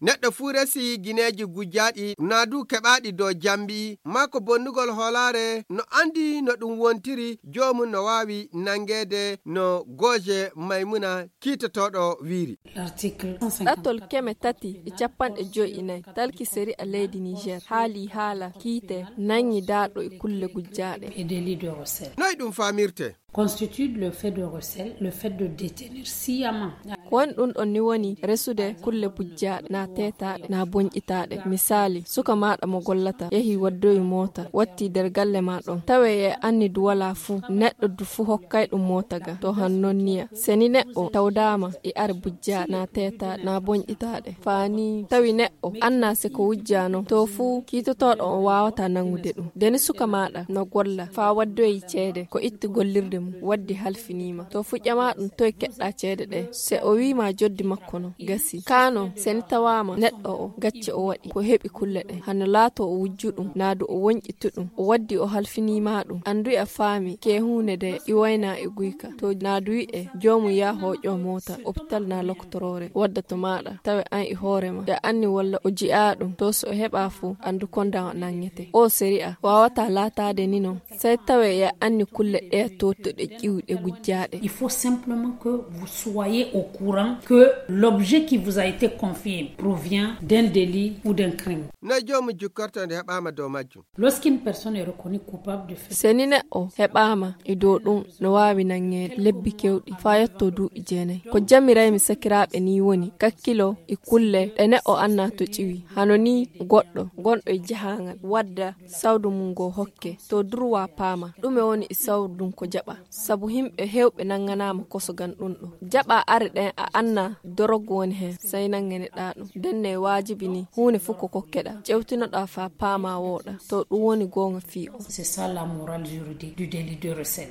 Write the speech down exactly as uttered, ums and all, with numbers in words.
Neɗɗo fuu resi gineeji gujjaaɗi, naa du keɓaaɗi dow jambi, maa ko bonnugol hoolaare, no anndi no ɗum wontiri, joomum no waawi nanngeede no gooje Maymuna kiitotooɗo wiiri. Ɗattol keme tati e capanɗe joy e nayi, talki seri a leydi Niger haali haala kiite nangi daaɗo e kulle gujjaaɗe. Noy ɗum faamirte? Constitue le fait de recel, le fait de détenir sciemment. Ko woni ɗum ɗon ni woni resude kulle bujjaaɗe na teetaaɗe na bonƴitaaɗe. Misaali, suka maaɗa mo gollata yehi waddoyi moota, watti nder galle ma ɗon. Tawe e anni du walaa fuu, neɗɗo du fuu hokkay ɗum moota ga. To han non niya. Seni neɗɗo tawdaama e are bujjaaɗe na teetaaɗe na bonƴitaaɗe. Faani tawi neɗɗo o anna se ko wujjano, to fuu kiitotooɗo on waawata nangude ɗum. Ndeni suka maaɗa no golla faa waddoyi ceede, ko itti gollirde mum, waddi halfiniima. To fuu ƴama ɗum toy keɗɗa ceede ɗe, se o wiima joddi makko no gasi. Kaano, se ni tawaama neɗɗo o gacce o waɗi, ko heɓi kulle ɗe, hano laato o wujju ɗum, naa du o wonƴitu ɗum, o waddi o halfiniima ɗum. Andu e a faami ke huunde de iwayna e guyka. To naa du wi'e joomu yaa hooƴo moota, opital naa lokotoroore, wadda to maaɗa, tawe an e hoore ma. Ya anni walla o ji'a ɗum, to so o heɓa fuu, andu konda o nangete. O sari'a waawata laataade ni non. Sai tawe ya anni kulle ɗe tootuɗe ƴiwɗe gujjaaɗe. Il faut simplement que vous soyez au courant que l'objet qui vous a été confié provient d'un délit ou d'un crime. No joomu jukkorto nde heɓaama dow majjum. Lorsqu'une personne est reconnue coupable de fait. Seni neɗɗo heɓaama e dow ɗum no waawi nangeede lebbi kewɗi faa yotto duuɓi jeenayi. Ko jamiraymi sakiraaɓe ni woni kakkilo e kulle ɗe neɗɗo anna to ƴiwi. Hano ni goɗɗo gonɗo e jahaangal wadda sawdu mum ngo hokke to durwa paama ɗume woni e sawdu ndun ko jaɓa. Sabu himɓe heewɓe nanganaama kosogan ɗum ɗo. Jaɓa are ɗen a anna dorogu woni hen, sai nanganeɗa ɗum. Ndenne waajibi ni huunde fuu ko kokkeɗa, ƴewtinoɗa faa paama wooɗa to ɗum woni goonga fii o. C'est ça la morale juridique du délit de recel.